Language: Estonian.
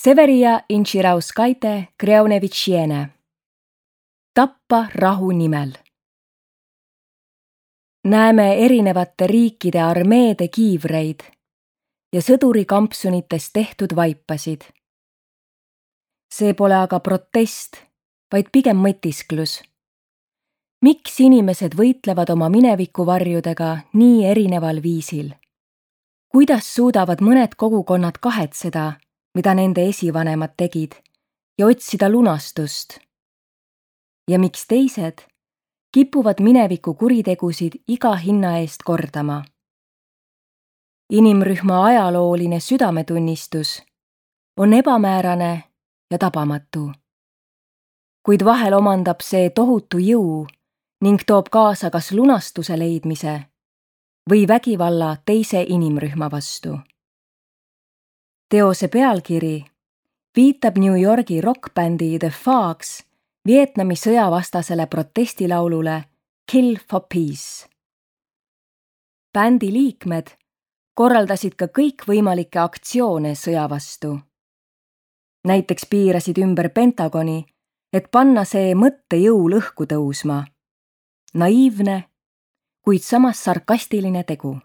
Severia Inchirauskaite Kreonevitšiene. Tappa rahu nimel. Näeme erinevate riikide armeede kiivreid ja sõdurikampsunites tehtud vaipasid. See pole aga protest, vaid pigem mõtisklus. Miks inimesed võitlevad oma minevikuvarjudega nii erineval viisil? Kuidas suudavad mõned kogukonnad kahetseda, mida nende esivanemad tegid, ja otsida lunastust? Ja miks teised kipuvad mineviku kuritegusid iga hinna eest kordama? Inimrühma ajalooline südametunnistus on ebamäärane ja tabamatu. Kuid vahel omandab see tohutu jõu ning toob kaasa kas lunastuse leidmise või vägivalla teise inimrühma vastu. Teose pealkiri viitab New Yorgi rockbändi The Fogs Vietnami sõjavastasele protestilaulule Kill for Peace. Bändi liikmed korraldasid ka kõikvõimalikke aktsioone sõja vastu. Näiteks piirasid ümber Pentagoni, et panna see mõttejõul õhku tõusma. Naiivne, kuid samas sarkastiline tegu.